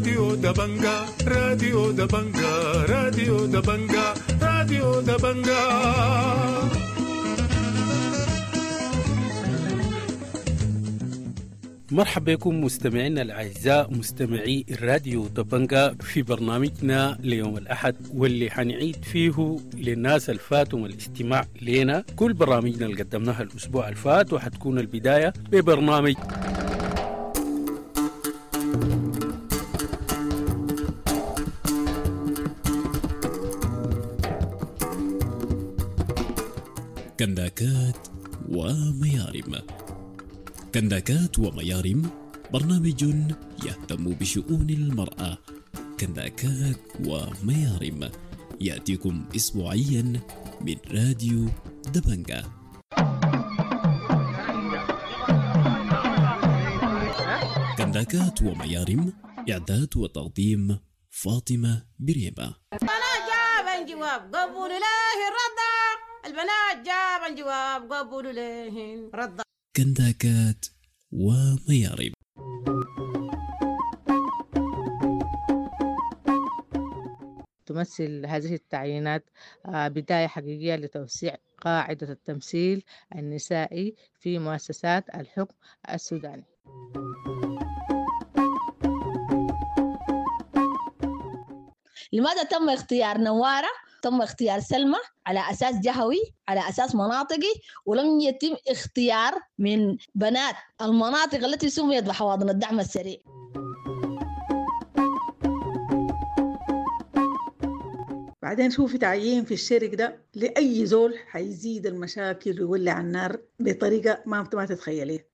راديو دبنجا، راديو دبنجا، راديو دبنجا، راديو دبنجا. مرحبا بكم مستمعينا الأعزاء مستمعي الراديو دبنجا في برنامجنا ليوم الأحد، واللي حنعيد فيه للناس الفاتهم الاستماع لنا كل برامجنا اللي قدمناها الأسبوع الفات، وحتكون البداية ببرنامج كنداكات وميارم. كنداكات وميارم برنامج يهتم بشؤون المرأة. كنداكات وميارم يأتيكم أسبوعيا من راديو دبنجا. كنداكات وميارم، إعداد وتقديم فاطمة بريمة. البنات جابن جواب قبولوا له الرضا، البنات جابن جواب قبولوا له الرضا. كنداكات وميارم. تمثل هذه التعيينات بداية حقيقية لتوسيع قاعدة التمثيل النسائي في مؤسسات الحكم السوداني. لماذا تم اختيار نوارة؟ تم اختيار سلمى على أساس جهوي، على أساس مناطقي، ولم يتم اختيار من بنات المناطق التي سميت بحواضن الدعم السريع. بعدين شوفي تعيين في الشرك ده لأي زول حيزيد المشاكل ويولع النار بطريقة ما تتخيليها.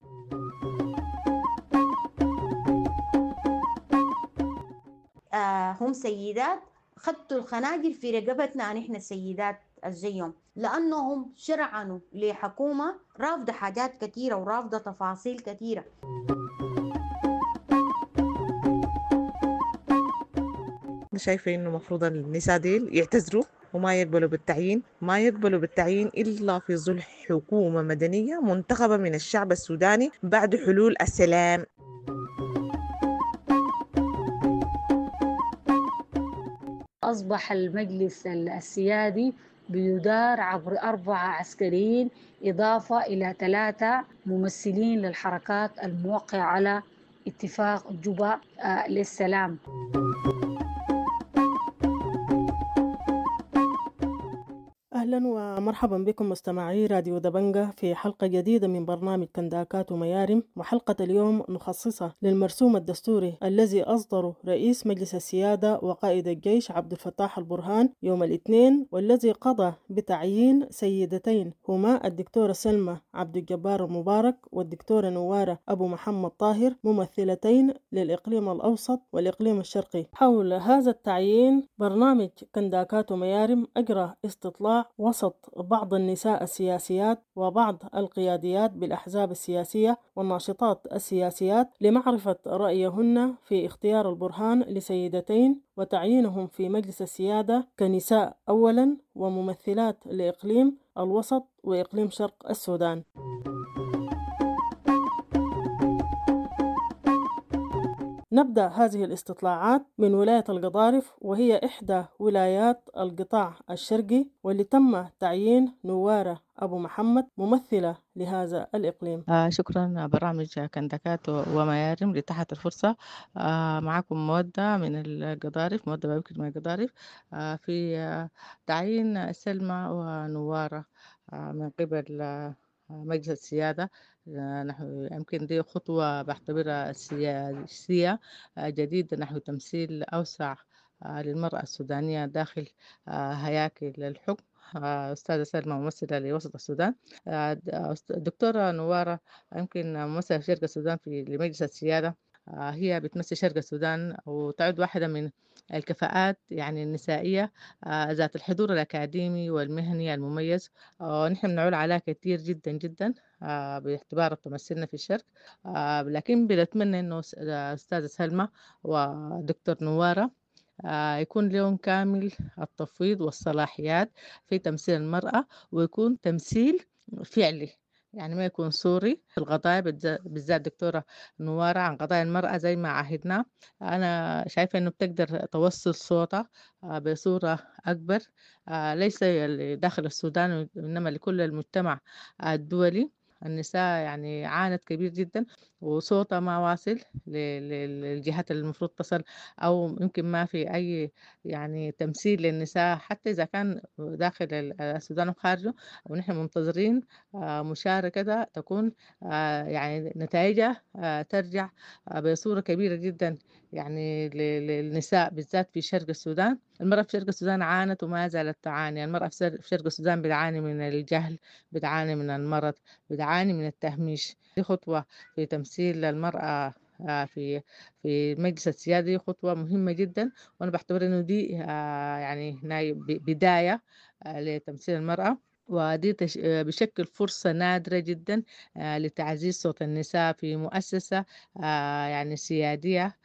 هم سيدات خدتوا الخناجر في رقبتنا نحن السيدات الزيهم، لأنهم شرعنوا لحكومة رافضة حاجات كثيرة ورافضة تفاصيل كثيرة. أنا شايفة إنه مفروض النساء ديل يعتذروا وما يقبلوا بالتعيين، ما يقبلوا بالتعيين إلا في ظل حكومة مدنية منتخبة من الشعب السوداني بعد حلول السلام. أصبح المجلس السيادي بيدار عبر 4 عسكريين إضافة إلى 3 ممثلين للحركات الموقعة على اتفاق جوبا للسلام. أهلا ومرحبا بكم مستمعي راديو دبنجة في حلقة جديدة من برنامج كنداكات وميارم. وحلقة اليوم نخصصها للمرسوم الدستوري الذي أصدره رئيس مجلس السيادة وقائد الجيش عبد الفتاح البرهان يوم الاثنين، والذي قضى بتعيين سيدتين هما الدكتورة سلمى عبد الجبار المبارك والدكتورة نوارة أبو محمد طاهر، ممثلتين للإقليم الأوسط والإقليم الشرقي. حول هذا التعيين برنامج كنداكات وميارم أجرى استطلاع وسط بعض النساء السياسيات وبعض القياديات بالأحزاب السياسية والناشطات السياسيات لمعرفة رأيهن في اختيار البرهان لسيدتين وتعيينهم في مجلس السيادة كنساء أولا وممثلات لإقليم الوسط وإقليم شرق السودان. نبدأ هذه الاستطلاعات من ولاية القضارف، وهي إحدى ولايات القطاع الشرقي، واللي تم تعيين نوارة أبو محمد ممثلة لهذا الإقليم. شكرا برامج كنداكات وميارم لتحت الفرصة. معكم مودة من القضارف، مودة بابكر من القضارف، في تعيين سلمى ونوارة من قبل مجلس السيادة. نحو يمكن دي خطوة بعتبرها سياسية جديدة نحو تمثيل أوسع للمرأة السودانية داخل هياكل الحكم. أستاذة سلمى ممثلة لوسط السودان، دكتورة نوارة يمكن ممثلة في شرق السودان في لمجلس السيادة، هي بتمثل شرق السودان وتعد واحدة من الكفاءات يعني النسائية ذات الحضور الأكاديمي والمهني المميز، ونحن بنعول عليها كثير جدا جدا باعتبارها تمثلنا في الشرق. لكن بنتمنى إنه أستاذة سلمى ودكتور نوارة يكون لهم كامل التفويض والصلاحيات في تمثيل المرأة، ويكون تمثيل فعلي. يعني ما يكون صوري في القضايا، بالذات دكتورة نوارة عن قضايا المرأة زي ما عهدنا. أنا شايفة إنه بتقدر توصل صوتها بصورة أكبر، ليس داخل السودان وإنما لكل المجتمع الدولي. النساء يعني عانت كبير جدا وصوتها ما واصل للجهات اللي المفروض تصل، أو يمكن ما في أي يعني تمثيل للنساء حتى إذا كان داخل السودان وخارجه. ونحن منتظرين مشاركة تكون يعني نتائجها ترجع بصورة كبيرة جدا يعني للنساء بالذات في شرق السودان. المرأة في شرق السودان عانت وما زالت تعاني. المرأة في شرق السودان بتعاني من الجهل، بتعاني من المرض، بتعاني من التهميش. دي خطوة في تمثيل المرأة في المجلس السيادي، خطوة مهمة جدا، وأنا بعتبر إنه دي يعني بداية لتمثيل المرأة، ودي بشكل فرصة نادرة جدا لتعزيز صوت النساء في مؤسسة يعني سيادية.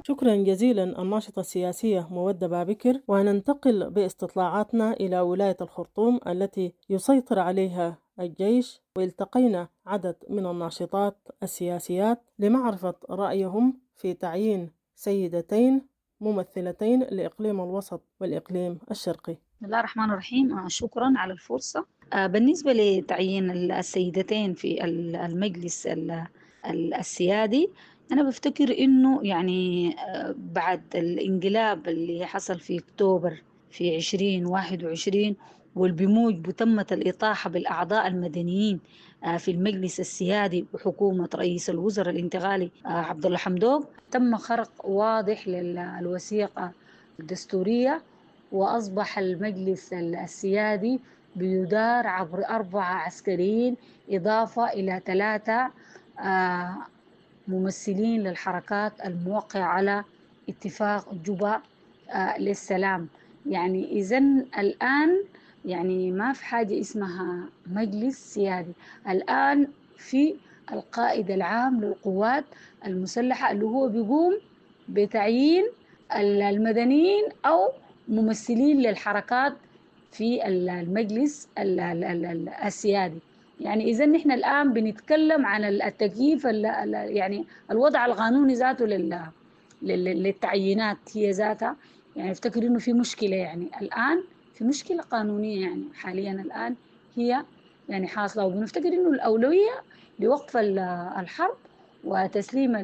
شكرا جزيلا الناشطة السياسية مودة بابكر. وننتقل باستطلاعاتنا إلى ولاية الخرطوم التي يسيطر عليها الجيش، والتقينا عدد من الناشطات السياسيات لمعرفة رأيهم في تعيين سيدتين ممثلتين لإقليم الوسط والإقليم الشرقي. بسم الله الرحمن الرحيم. شكرا على الفرصة. بالنسبة لتعيين السيدتين في المجلس السيادي، أنا بفتكر إنه يعني بعد الانقلاب اللي حصل في أكتوبر في 2021 والبموجب تمت الإطاحة بالأعضاء المدنيين في المجلس السيادي وحكومة رئيس الوزراء الانتقالي عبد الله حمدوك، تم خرق واضح للوثيقة الدستورية، وأصبح المجلس السيادي بيدار عبر 4 عسكريين إضافة إلى 3 ممثلين للحركات الموقعة على اتفاق جوبا للسلام. يعني إذن الآن يعني ما في حاجة اسمها مجلس سيادي، الآن في القائد العام للقوات المسلحة اللي هو بيقوم بتعيين المدنيين أو ممثلين للحركات في المجلس السيادي. يعني إذا نحن الآن بنتكلم عن التكييف، يعني الوضع القانوني ذاته للتعيينات هي ذاتها. يعني افتكر إنه في مشكلة، يعني الآن في مشكلة قانونية يعني حاليا الآن هي يعني حاصلة، وبنفتكر إنه الأولوية لوقف الحرب وتسليم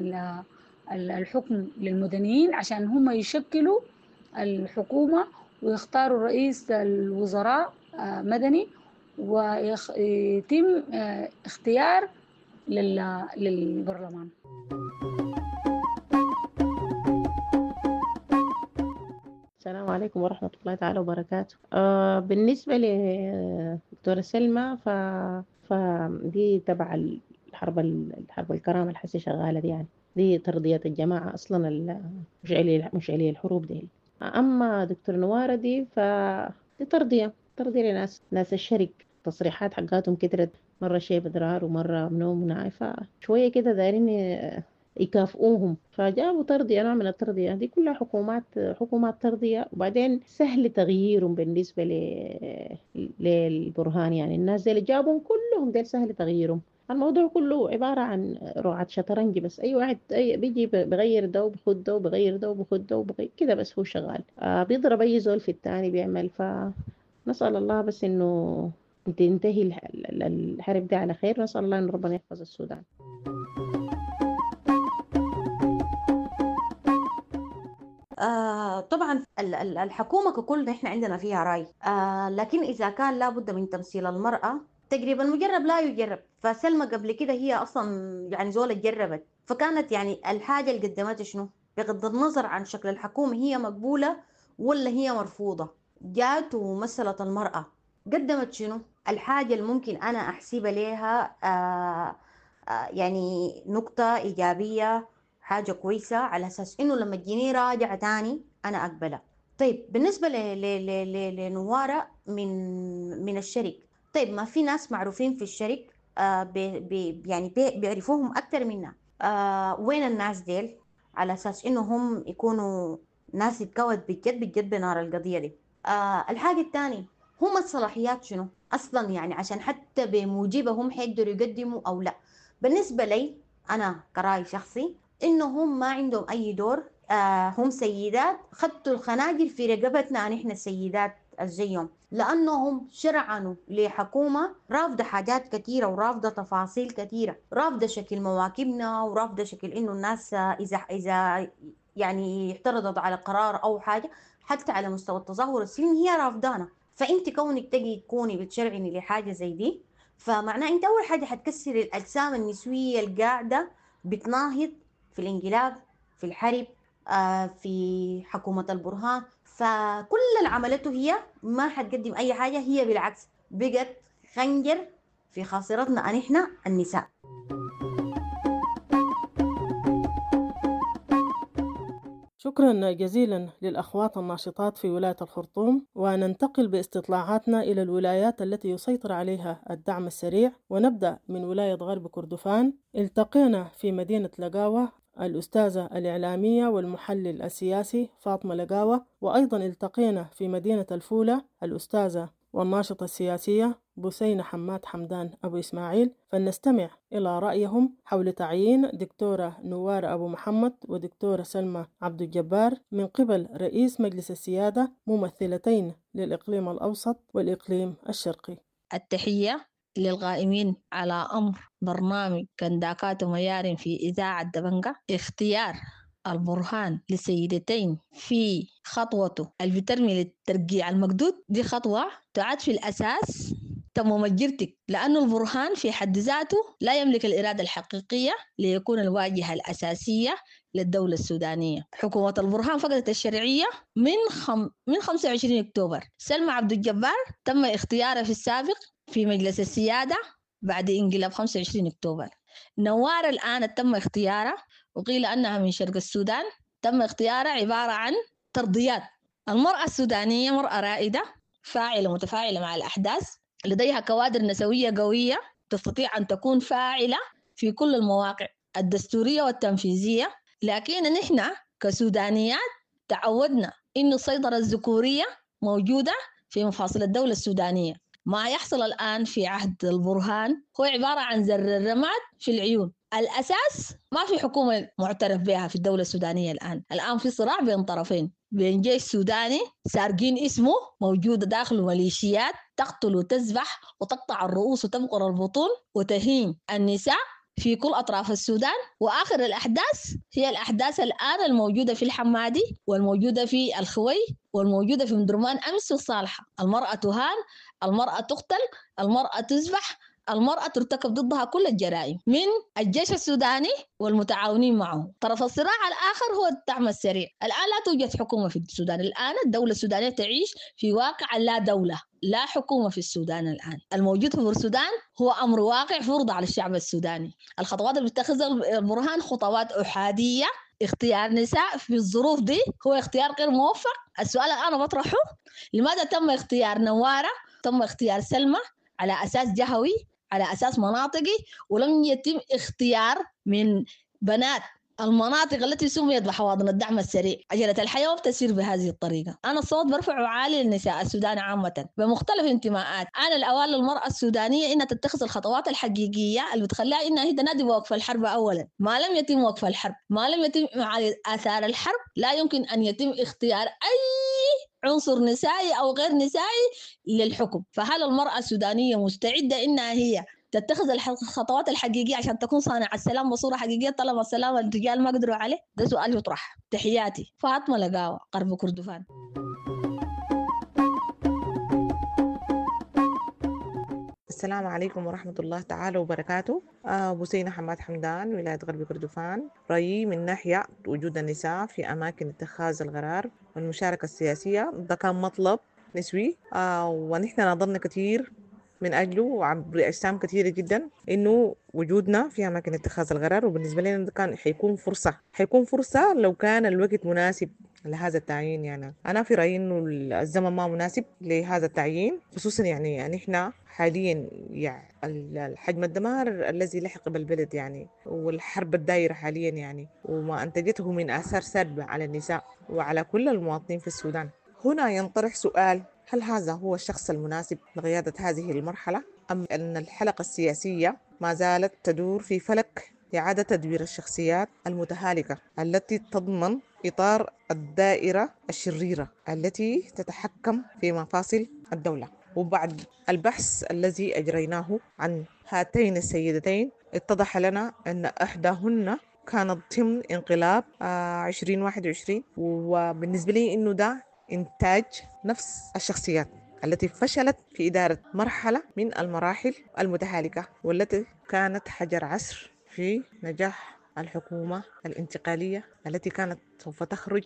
الحكم للمدنيين عشان هم يشكلوا الحكومة ويختاروا رئيس الوزراء مدني ويتم اختيار للبرلمان. السلام عليكم ورحمة الله تعالى وبركاته. بالنسبة لدكتورة سلمى فدي تبع الحرب الكرامة الحسي شغالة دي، يعني دي ترضية الجماعة أصلا مشعلي الحروب دي. أما دكتور نوارة دي فدي ترضية لناس ناس الشرق، تصريحات حقاتهم كترت، مرة شيء بدرار ومرة منوم ونعي، فشوية كده دايرين يكافئوهم فجابوا ترضية، نوع من الترضية دي كلها حكومات ترضية. وبعدين سهل تغييرهم بالنسبة للبرهان، يعني الناس اللي جابهم كلهم ديل سهل تغييرهم. الموضوع كله عبارة عن رعاة شطرنج بس، أي واحد بيجي بغير ده وبخد ده وبغير ده وبخد ده وبغير كده، بس هو شغال بيضرب أي زول في التاني بيعمل. فنسأل الله بس إنه تنتهي الحرب دي على خير، نسأل الله إن ربنا يحفظ السودان. طبعا الحكومة ككل نحن عندنا فيها رأي، لكن إذا كان لابد من تمثيل المرأة تقريبا المجرب لا يجرب. فسلمى قبل كده هي أصلا يعني زولة جربت، فكانت يعني الحاجة اللي قدمتها شنو بغض النظر عن شكل الحكومة هي مقبولة ولا هي مرفوضة، جات ومثلت المرأة، قدمت شنو الحاجة اللي ممكن أنا أحسبها لها يعني نقطة إيجابية، حاجة كويسة على أساس إنه لما تجيني راجعة تاني أنا أقبلها. طيب بالنسبة لنوارة من الشرق، طيب ما في ناس معروفين في الشرق يعني بيعرفوهم أكتر منا، وين الناس ديل على أساس إنه هم يكونوا ناس يتكوت بجد بجد بنار القضية دي. الحاجة الثانية، هم الصلاحيات شنو أصلا يعني عشان حتى بموجبهم حيقدروا يقدموا أو لا. بالنسبة لي أنا كرأي شخصي إنهم ما عندهم أي دور. هم سيدات خدتوا الخناجر في رقبتنا نحن السيدات الزيهم، لأنهم شرعنوا لحكومة رافضة حاجات كثيرة ورافضة تفاصيل كثيرة، رافضة شكل مواكبنا ورافضة شكل إنه الناس إذا يعني اعترضت على قرار أو حاجة حتى على مستوى التظاهر السلمي هي رافضانا. فأنت كونك تجي تكوني بتشرعني لحاجة زي دي، فمعناه أنت أول حاجة حتكسر الأجسام النسوية القاعدة بتناهض في الانقلاب، في الحرب، في حكومة البرهان. فكل اللي عملته هي ما حتقدم أي حاجة، هي بالعكس بقت خنجر في خاصرتنا نحن النساء. شكرا جزيلا للأخوات الناشطات في ولاية الخرطوم، وننتقل باستطلاعاتنا إلى الولايات التي يسيطر عليها الدعم السريع، ونبدأ من ولاية غرب كردفان. التقينا في مدينة لقاوة الأستاذة الإعلامية والمحلل السياسي فاطمة لقاوة، وأيضا التقينا في مدينة الفولة الأستاذة والناشطة السياسية بثينة حماد حمدان أبو إسماعيل. فلنستمع إلى رأيهم حول تعيين دكتورة نوار أبو محمد ودكتورة سلمى عبد الجبار من قبل رئيس مجلس السيادة ممثلتين للإقليم الأوسط والإقليم الشرقي. التحية للقائمين على أمر برنامج كنداكات وميارم في إذاعة دبنجة. اختيار البرهان لسيدتين في خطوته اللي بترمي للترقيع المقدود دي خطوة تعد في الأساس تمام جرتك، لأنه البرهان في حد ذاته لا يملك الإرادة الحقيقية ليكون الواجهة الأساسية للدولة السودانية. حكومة البرهان فقدت الشرعية من 25 أكتوبر. سلمى عبد الجبار تم اختيارها في السابق في مجلس السيادة بعد انقلاب 25 أكتوبر. نوار الآن تم اختيارها وقيل أنها من شرق السودان، تم اختيارها عبارة عن ترضيات. المرأة السودانية مرأة رائدة فاعلة متفاعلة مع الأحداث، لديها كوادر نسوية قوية تستطيع أن تكون فاعلة في كل المواقع الدستورية والتنفيذية. لكن نحن كسودانيات تعودنا إن السيطرة الذكورية موجودة في مفاصل الدولة السودانية. ما يحصل الآن في عهد البرهان هو عبارة عن زر الرماد في العيون. الأساس ما في حكومة معترف بها في الدولة السودانية الآن. الآن في صراع بين طرفين، بين جيش سوداني سارقين اسمه موجودة داخل ميليشيات تقتل وتذبح وتقطع الرؤوس وتبقر البطون وتهين النساء في كل أطراف السودان. وآخر الأحداث هي الأحداث الآن الموجودة في الحمادي والموجودة في الخوي والموجودة في مدرمان أمس والصالحة. المرأة تهان، المرأة تقتل، المرأة تذبح، المرأة ترتكب ضدها كل الجرائم من الجيش السوداني والمتعاونين معه. طرف الصراع الآخر هو الدعم السريع. الآن لا توجد حكومة في السودان. الآن الدولة السودانية تعيش في واقع لا دولة، لا حكومة في السودان. الآن الموجود في السودان هو أمر واقع فرض على الشعب السوداني. الخطوات اللي بتتخذها البرهان خطوات أحادية. اختيار نساء في الظروف دي هو اختيار غير موفق. السؤال الآن بطرحه، لماذا تم اختيار نوارة، تم اختيار سلمى على أساس جهوي، على أساس مناطقي، ولم يتم اختيار من بنات المناطق التي سميت بحواضن الدعم السريع؟ عجلة الحياة بتسير بهذه الطريقة. أنا الصوت برفعه عالي للنساء السودان عامة بمختلف انتماءات. أنا الأوان للمرأة السودانية إنها تتخذ الخطوات الحقيقية اللي بتخليها إنها هي تنادي بوقف الحرب أولا. ما لم يتم وقف الحرب، ما لم يتم آثار الحرب، لا يمكن أن يتم اختيار أي عنصر نسائي أو غير نسائي للحكم. فهل المرأة السودانية مستعدة إنها هي تتخذ الخطوات الحقيقية عشان تكون صانعة السلام بصورة حقيقية طالما السلام الرجال ما قدروا عليه؟ ده سؤال يطرح. تحياتي، فاطمة لقاوة، غرب كردفان. السلام عليكم ورحمة الله تعالى وبركاته. بثينة حماد حمدان، ولاية غرب كردفان. رأيي من ناحية وجود النساء في أماكن اتخاذ القرار والمشاركة السياسية، ده كان مطلب نسوي، ونحن ناضلنا كثير من أجله وعبر أجسام كثيرة جدا إنه وجودنا في أماكن اتخاذ القرار. وبالنسبة لنا ده كان حيكون فرصة لو كان الوقت مناسب لهذا التعيين. يعني أنا في رأيي إنه الزمن ما مناسب لهذا التعيين، خصوصا يعني نحن حاليا يعني الحجم الدمار الذي لحق بالبلد يعني، والحرب الدائرة حاليا يعني، وما أنتجته من آثار سلبة على النساء وعلى كل المواطنين في السودان. هنا ينطرح سؤال: هل هذا هو الشخص المناسب لقيادة هذه المرحلة، أم أن الحلقة السياسية ما زالت تدور في فلك إعادة تدوير الشخصيات المتهالكة التي تضمن إطار الدائرة الشريرة التي تتحكم في مفاصل الدولة؟ وبعد البحث الذي أجريناه عن هاتين السيدتين اتضح لنا أن إحداهن كانت ضمن انقلاب 2021، وبالنسبة لي إنه ده إنتاج نفس الشخصيات التي فشلت في إدارة مرحلة من المراحل المتهالكة، والتي كانت حجر عصر في نجاح الحكومة الانتقالية التي كانت سوف تخرج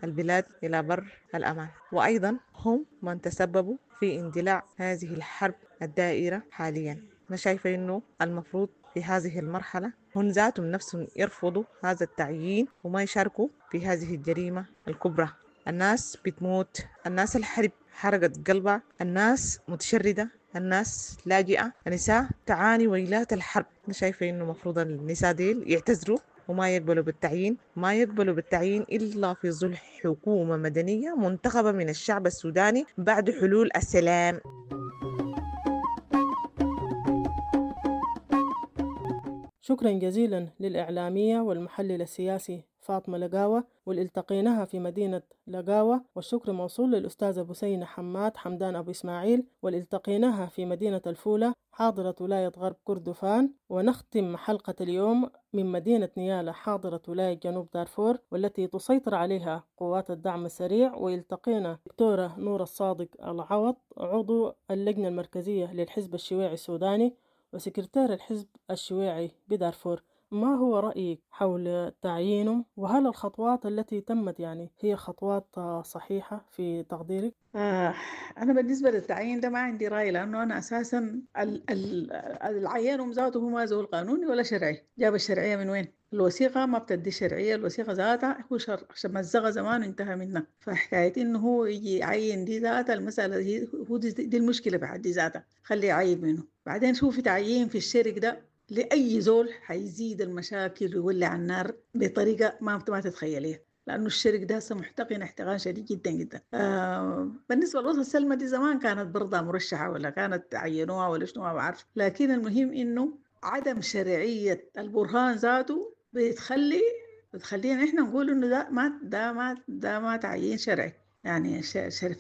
البلاد إلى بر الأمان. وأيضا هم من تسببوا في اندلاع هذه الحرب الدائرة حاليا. أنا شايفة إنه المفروض في هذه المرحلة هم ذاتهم نفسهم يرفضوا هذا التعيين وما يشاركوا في هذه الجريمة الكبرى. الناس بتموت، الناس الحرب حرقت قلبها، الناس متشردة، الناس لاجئة، النساء تعاني ويلات الحرب. أنا شايفة إنه مفروض النساء ديل يعتذروا وما يقبلوا بالتعيين، ما يقبلوا بالتعيين إلا في ظل حكومة مدنية منتخبة من الشعب السوداني بعد حلول السلام. شكرا جزيلا للإعلامية والمحلل السياسي فاطمة لقاوة واللي التقيناها في مدينة لقاوة، والشكر موصول للأستاذة بسينة حماد حمدان أبو إسماعيل واللي التقيناها في مدينة الفولة حاضرة ولاية غرب كردفان. ونختم حلقة اليوم من مدينة نيالا حاضرة ولاية جنوب دارفور والتي تسيطر عليها قوات الدعم السريع، والتقينا دكتورة نور الصادق العوض عضو اللجنة المركزية للحزب الشيوعي السوداني وسكرتير الحزب الشيوعي بدارفور. ما هو رأيك حول تعيينه، وهل الخطوات التي تمت يعني هي خطوات صحيحة في تقديرك؟ أنا بالنسبة للتعيين ده ما عندي رأي، لأنه أنا أساسا العيان ذاته هو ما زول قانوني ولا شرعي. جاب الشرعية من وين؟ الوثيقة ما بتدي شرعية، الوثيقة ذاتها هو مزقها زمان وانتهى منها. فحكاية إنه هو يجي يعين دي ذاتها المسألة دي، هو دي المشكلة بحد ذاتها، خليه يعين منه. بعدين شوفي تعيين في الشرك ده لأي زول حيزيد المشاكل ويولع النار بطريقة ما تتخيليها، لأنه الشرك ده هسه محتقن احتقان شديد جدا جدا. بالنسبة للوصفة سلمى دي زمان كانت برضه مرشحة ولا كانت عينوها ولا شنو ما بعرف، لكن المهم إنه عدم شرعية البرهان ذاته بتخلينا إحنا نقول إنه ده ما تعيين شرعي، يعني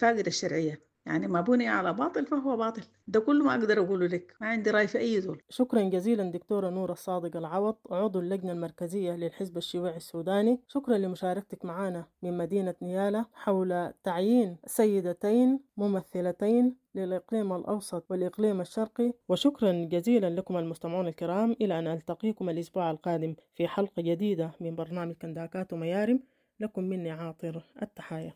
فاقد الشرعية، يعني ما بني على باطل فهو باطل. ده كله ما أقدر أقوله لك، ما عندي رأي في أي زول. شكرا جزيلا دكتورة نور الصادق العوض عضو اللجنة المركزية للحزب الشيوعي السوداني، شكرا لمشاركتك معنا من مدينة نيالا حول تعيين سيدتين ممثلتين للإقليم الأوسط والإقليم الشرقي. وشكرا جزيلا لكم المستمعون الكرام، إلى أن ألتقيكم الأسبوع القادم في حلقة جديدة من برنامج كنداكات وميارم. لكم مني عاطر التحايا.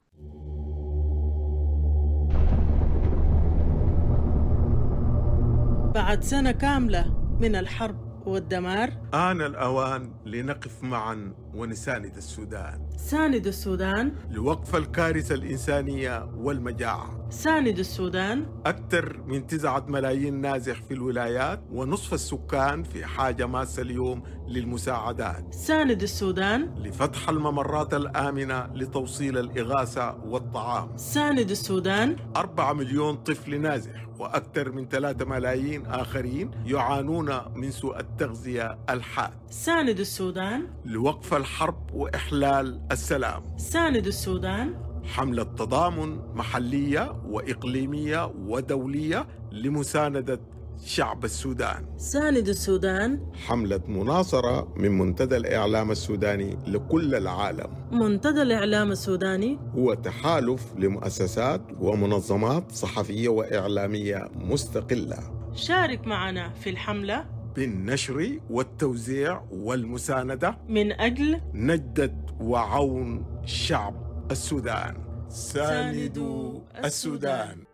بعد سنة كاملة من الحرب والدمار، آن الأوان لنقف معا ونساند السودان. ساند السودان لوقف الكارثة الإنسانية والمجاعة. ساند السودان. أكثر من 9 ملايين نازح في الولايات ونصف السكان في حاجة ماسة اليوم للمساعدات. ساند السودان لفتح الممرات الآمنة لتوصيل الإغاثة والطعام. ساند السودان. 4 مليون طفل نازح وأكثر من 3 ملايين آخرين يعانون من سوء التغذية الحاد. ساند السودان لوقف الحرب وإحلال السلام. ساند السودان. حملة تضامن محلية وإقليمية ودولية لمساندة شعب السودان. ساند السودان. حملة مناصرة من منتدى الإعلام السوداني لكل العالم. منتدى الإعلام السوداني هو تحالف لمؤسسات ومنظمات صحفية وإعلامية مستقلة. شارك معنا في الحملة بالنشر والتوزيع والمساندة من أجل نجدة وعون شعب السودان. ساندوا السودان.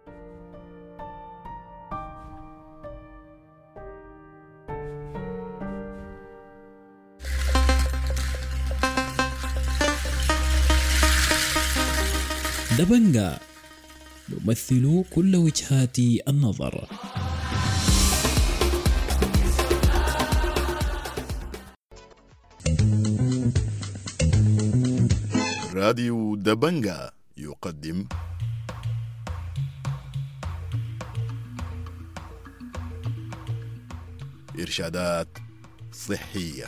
دبنجا نمثل كل وجهات النظر. راديو دبنجا يقدم إرشادات صحية،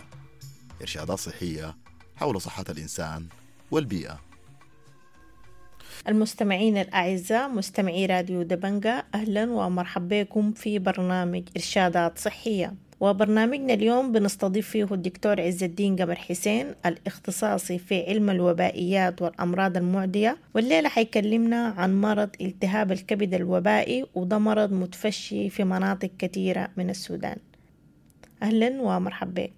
إرشادات صحية حول صحة الإنسان والبيئة. المستمعين الأعزاء مستمعي راديو دبنجا، أهلا ومرحبا بكم في برنامج إرشادات صحية. وبرنامجنا اليوم بنستضيف فيه الدكتور عز الدين قمر حسين الاختصاصي في علم الوبائيات والأمراض المعدية، والليلة حيكلمنا عن مرض التهاب الكبد الوبائي، وده مرض متفشي في مناطق كثيرة من السودان. أهلا ومرحبا بك.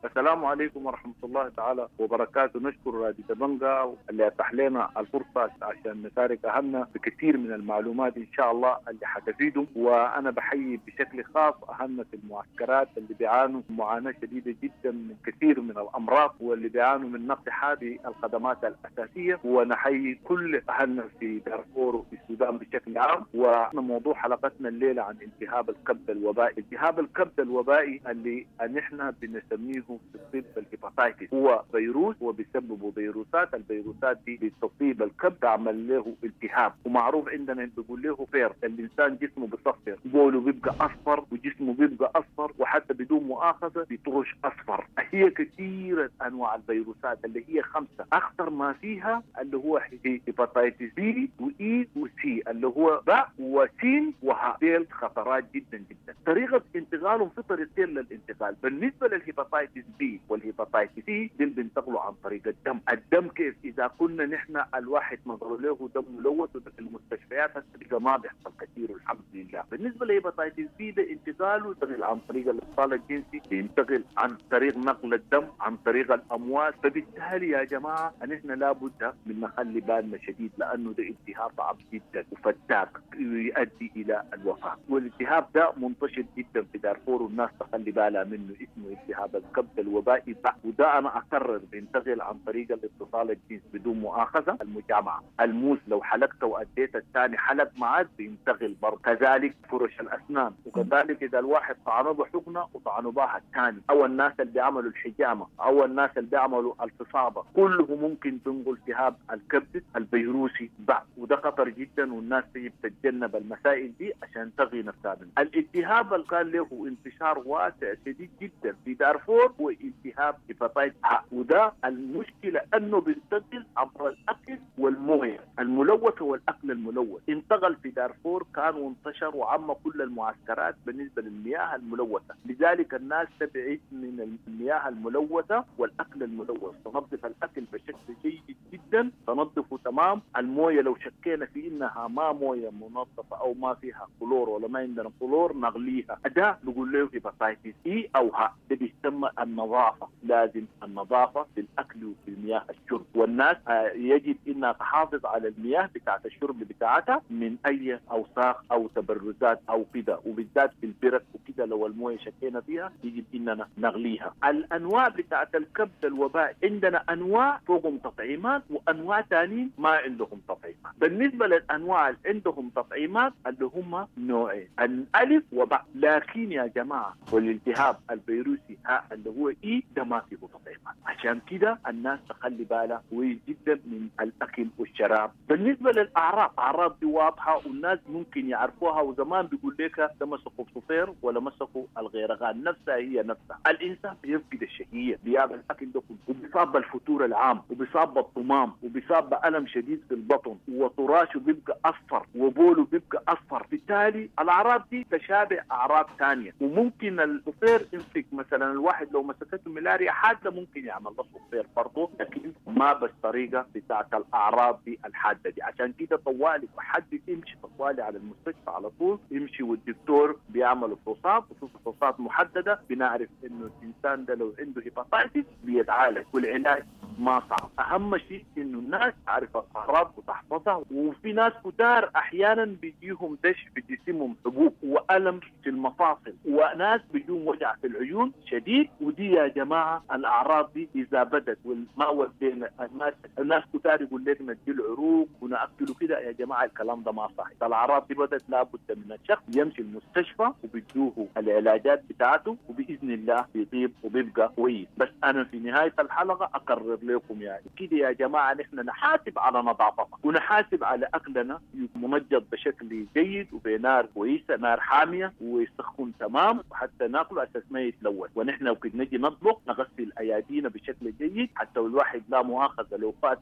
السلام عليكم ورحمة الله تعالى وبركاته. نشكر راديو دبنجا اللي أتاح لنا الفرصة عشان نشارك أهلنا بكثير من المعلومات إن شاء الله اللي حتفيدهم. وأنا بحيي بشكل خاص أهلنا في المعسكرات اللي بيعانوا معاناة شديدة جدا من كثير من الأمراض، واللي بيعانوا من نقص هذه الخدمات الأساسية. ونحيي كل أهلنا في دارفور وفي السودان بشكل عام. وموضوع حلقتنا الليلة عن التهاب الكبد الوبائي. التهاب الكبد الوبائي اللي نحن بنسميه في الطب ال hepatitis، هو فيروس وبيسببه فيروسات. الفيروسات دي بتصيب الكبد تعمل له التهاب، ومعروف عندنا بيقول له فير. الانسان جسمه بيصفر، بوله بيبقى اصفر وجسمه بيبقى اصفر، وحتى بدون مؤاخذة بيطرش اصفر. هي كثيرة انواع الفيروسات اللي هي 5، اخطر ما فيها اللي هو hepatitis B و E و C، اللي هو باء وسين وهاء. ديل خطرات جدا جدا. طريقه انتقالهم في طريقتين للانتقال. بالنسبة لل hepatitis B وال hepatitis C دول بينتقلوا عن طريق الدم. الدم كيف؟ اذا كنا نحن الواحد نظر له دم ملوث في المستشفيات هسه ما بيحصل كثير والحمد لله. بالنسبة لل hepatitis B ده انتقاله ينتقل عن طريق الاتصال الجنسي، بينتقل عن طريق نقل الدم، عن طريق الامواس. فبالتالي يا جماعة نحن لابد من نخلي بالنا شديد، لانه ده التهاب صعب جدا وفتاك يؤدي الى الوفاة. والالتهاب ده منتشر جدا في دارفور والناس تخلي بالها منه، اسمه التهاب الكبد الوبائي. وده انا اكرر بينتقل عن طريق الاتصال الجنسي بدون مؤاخذة، المجامعه، الموس لو حلقته واديت الثاني حلق معك بينتقل برضه. كذلك فرش الاسنان، وكذلك اذا الواحد طعنه بحقنه وطعنه بها الثاني، او الناس اللي بيعملوا الحجامة، او الناس اللي بيعملوا الفصابه، كله ممكن تنقل التهاب الكبد الفيروسي بعد. وده خطر جدا، والناس تجب تتجنب المسائل دي عشان تغي نفسها منه. الالتهاب اللي كان له انتشار واسع شديد جدا في دارفور هو التهاب hepatitis ه، وده المشكلة انه بينتقل عبر الاكل والمويه الملوثة والاكل الملوث. انتقل في دارفور كان وانتشر وعم كل المعسكرات بالنسبة للمياه الملوثة، لذلك الناس تبعد من المياه الملوثة والاكل الملوث. تنظف الاكل بشكل جيد جدا، تنظفه تمام. المويه لو شكينا في انها ما مويه منظفه او ما فيها كلور ولا ما عندنا كلور نغليها. ده بيقول له hepatitis E او ه، ده بيسمى النظافة. لازم النظافة في الاكل وفي المياه الشرب، والناس يجب انها تحافظ على المياه بتاعت الشرب بتاعتها من اي اوساخ او تبرزات او كده، وبالذات في البرك وكده لو المويه شكينا فيها يجب اننا نغليها. الانواع بتاعت الكبد الوبائي عندنا انواع فوقهم تطعيمات وانواع ثانيين ما عندهم تطعيمات. بالنسبة للانواع اللي عندهم تطعيمات اللي هم نوعين، الالف وباء. لكن يا جماعة والالتهاب الفيروسي ها اللي هو E ده ما فيه تطعيمات، عشان كده الناس تخلي بالها كويس جدا من الاكل والشراب. بالنسبة للاعراض، اعراض دي واضحة والناس ممكن يعرفوها، وزمان بيقول لك ده مسكوا صفير ولا مسكوا الغيرغان، نفسها هي نفسها. الانسان بيفقد الشهية، بياكل الاكل ده كله، وبيصاب بالفتور العام، وبيصاب بالطمام، وبيصاب بالم شديد في البطن، وطراشه بيبقى اصفر، وبوله بيبقى اصفر. بالتالي الاعراض دي تشابه اعراض ثانية، وممكن الصفير يمسك مثلا الواحد لو مسكته ملاريا حادة ممكن يعمل له صفير برضه، لكن ما بالطريقة بتاعت الاعراض دي الحادة دي. عشان كده طوالي حد يمشي طوالي على المستشفى على طول يمشي، والدكتور بيعمل فحوصات، وفحوصات محددة بنعرف انه الانسان ده لو عنده hepatitis بيتعالج، والعلاج ما صعب. اهم شيء انه الناس تعرف الاعراض وتحفظها. وفي ناس كتار احيانا بيجيهم دش في جسمهم، حبوب والم في المفاصل، وناس بيجيهم وجع في العيون شديد. ودي يا جماعة الاعراض دي اذا بدت والما ودينا الناس كتار يقول لك ندي العروق وناكله كده، يا جماعة الكلام ده ما صحيح. الاعراض دي بدت لابد من الشخص يمشي المستشفى وبيدوه العلاجات بتاعته، وباذن الله بيطيب وبيبقى كويس. بس انا في نهاية الحلقة اكرر لكم يعني كده يا جماعة، نحن نحاسب على نظافتنا ونحاسب على اكلنا منجض بشكل جيد وبنار كويسة، نار حامية ويسخن تمام وحتى ناكله اساس ما يتلوث. ونحن وقت نجي نطبخ نغسل ايادينا بشكل جيد، حتى الواحد لا مؤاخذة لو فات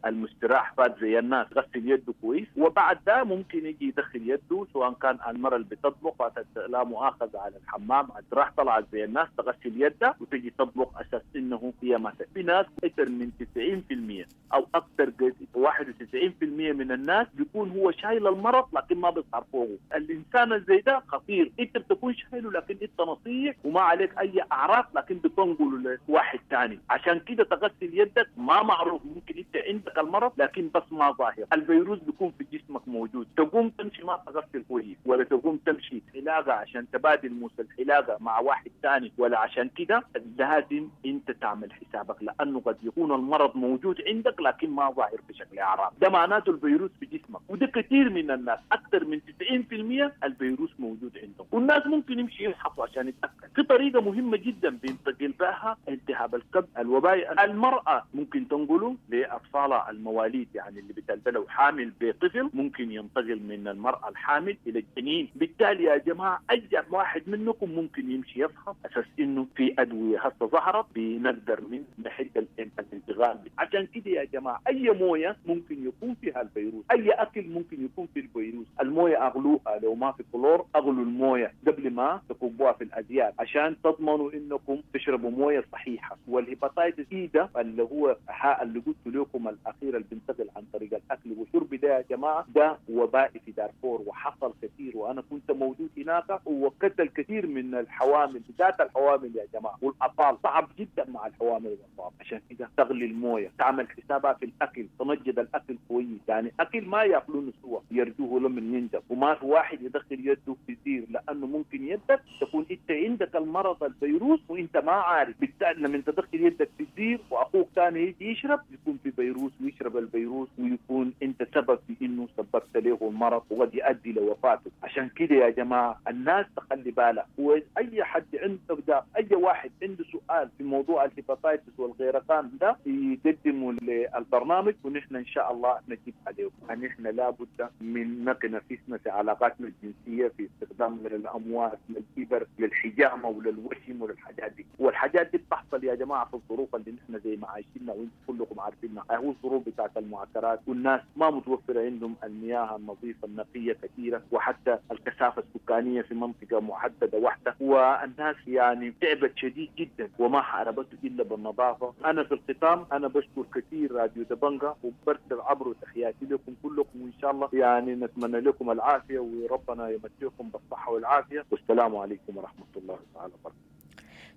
المستراح فات زي الناس غسل يده كويس، وبعد ده ممكن يجي يدخل يده سواء كان المرأة اللي بتطبخ فاتت لا مؤاخذة على الحمام راح طلعت زي الناس تغسل يدها وتجي تطبخ اساس انه هي ما. في ناس اكثر من 90% او اكثر 91% من الناس بيكون هو شايل المرض لكن ما بيظهر فوقه. الانسان زي ده خطير، انت بتكون شايله لكن انت نصيح وما عليك اي اعراض، لكن بتنقله لواحد ثاني. عشان كده تغسل يدك، ما معروف ممكن انت عندك المرض لكن بس ما ظاهر، الفيروس بيكون في جسمك موجود. تقوم تمشي ما تغسل كويس، ولا تقوم تمشي حلاقه عشان تبادل موس الحلاقة مع واحد ثاني، ولا عشان كده لازم انت تعمل حسابك، لانه قد يكون المرض موجود عندك لكن ما ظاهر بشكل اعراض. ده معناته الفيروس في جسمك، وده كثير من الناس اكثر من 90% الفيروس موجود عندهم، والناس ممكن يمشي يفحصوا عشان يتاكد. في طريقه مهمة جدا بينتقل بها التهاب الكبد الوبائي، المراة ممكن تنقله لاطفالها المواليد، يعني اللي بتلبله حامل بطفل ممكن ينتقل من المراة الحامل الى الجنين. بالتالي يا جماعة اي واحد منكم ممكن يمشي يفحص اساس انه في ادوية هسه ظهرت بنقدر من نحد الانتقال. عشان كده يا جماعة اي مويه ممكن يكون فيها الفيروس، اي اكل ممكن يكون فيه الفيروس. المويه اغلوها، لو ما في كلور اغلوا المويه قبل ما تكبوها في الازيال عشان تضمنوا انكم تشربوا مويه صحيحه. وال hepatitis E ده اللي هو اللي قلت لكم الاخير اللي بينتقل عن طريق الاكل والشرب ده يا جماعة، ده وبائي في دارفور وحصل كثير، وانا كنت موجود هناك وقتل كثير من الحوامل، بالذات الحوامل يا جماعة والاطفال، صعب جدا مع الحوامل والاطفال. عشان كده تغلي المويه، تعمل حسابها في الاكل، تنجد الاكل كويس، يعني اكل ما ياكلونه سوا يرجوه لمن ينجب، وما في واحد يدخل يده في زير، لانه ممكن يدك تكون انت عندك المرض الفيروس وانت ما عارف. بالتالي لما تدخل يدك في الزير واخوك ثاني يجي يشرب يكون في فيروس ويشرب الفيروس، ويكون انت سبب في انه سببت له المرض وقد يؤدي لوفاته. عشان كده يا جماعة الناس تخلي بالها، واي حد عنده اي واحد عنده سؤال في موضوع ال hepatitis والغيرقان ده يقدمه للبرنامج ونحن ان شاء الله نجيب عليه. نحن لابد من نقي نفسنا في علاقاتنا الجنسية، في استخدامنا للاموات، للإبر، للحجامه وللوشم وللحاجات دي. والحاجات دي بتحصل يا جماعة في الظروف اللي نحن زي ما عايشينها وانتم كلكم عارفينها، هو الظروف بتاعت المعسكرات والناس ما متوفرة عندهم المياه النظيفة النقية كثيرة، وحتى الكثافة السكانية في منطقة محددة واحدة، والناس يعني تعبت شديد جدا وما حاربته الا بالنظافة. انا في الختام انا بشكر كثير راديو دبنجا وبرسل عبره تحياتي لكم كلكم، وان شاء الله يعني نتمنى لكم العافية وربنا يمتعكم بالصحة والعافية، والسلام عليكم ورحمة الله تعالى وبركاته.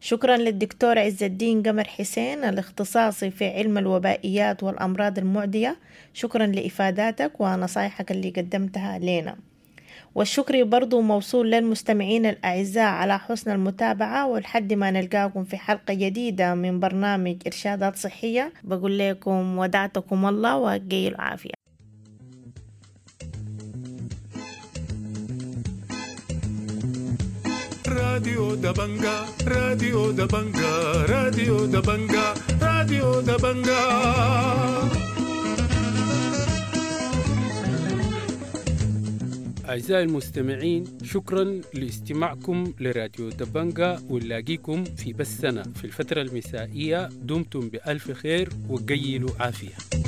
شكرا للدكتور عز الدين قمر حسين الاختصاصي في علم الوبائيات والأمراض المعدية، شكرا لإفاداتك ونصايحك اللي قدمتها لنا. والشكر برضو موصول للمستمعين الأعزاء على حسن المتابعة، ولحد ما نلقاكم في حلقة جديدة من برنامج إرشادات صحية بقول لكم ودعتكم الله وقي العافية. راديو دبنجا، راديو دبنجا، راديو دبنجا، راديو دبنجا. أعزائي المستمعين، شكرا لاستماعكم لراديو دبنجا، ونلاقيكم في بثنا في الفترة المسائية. دمتم بألف خير وقيلوا عافية.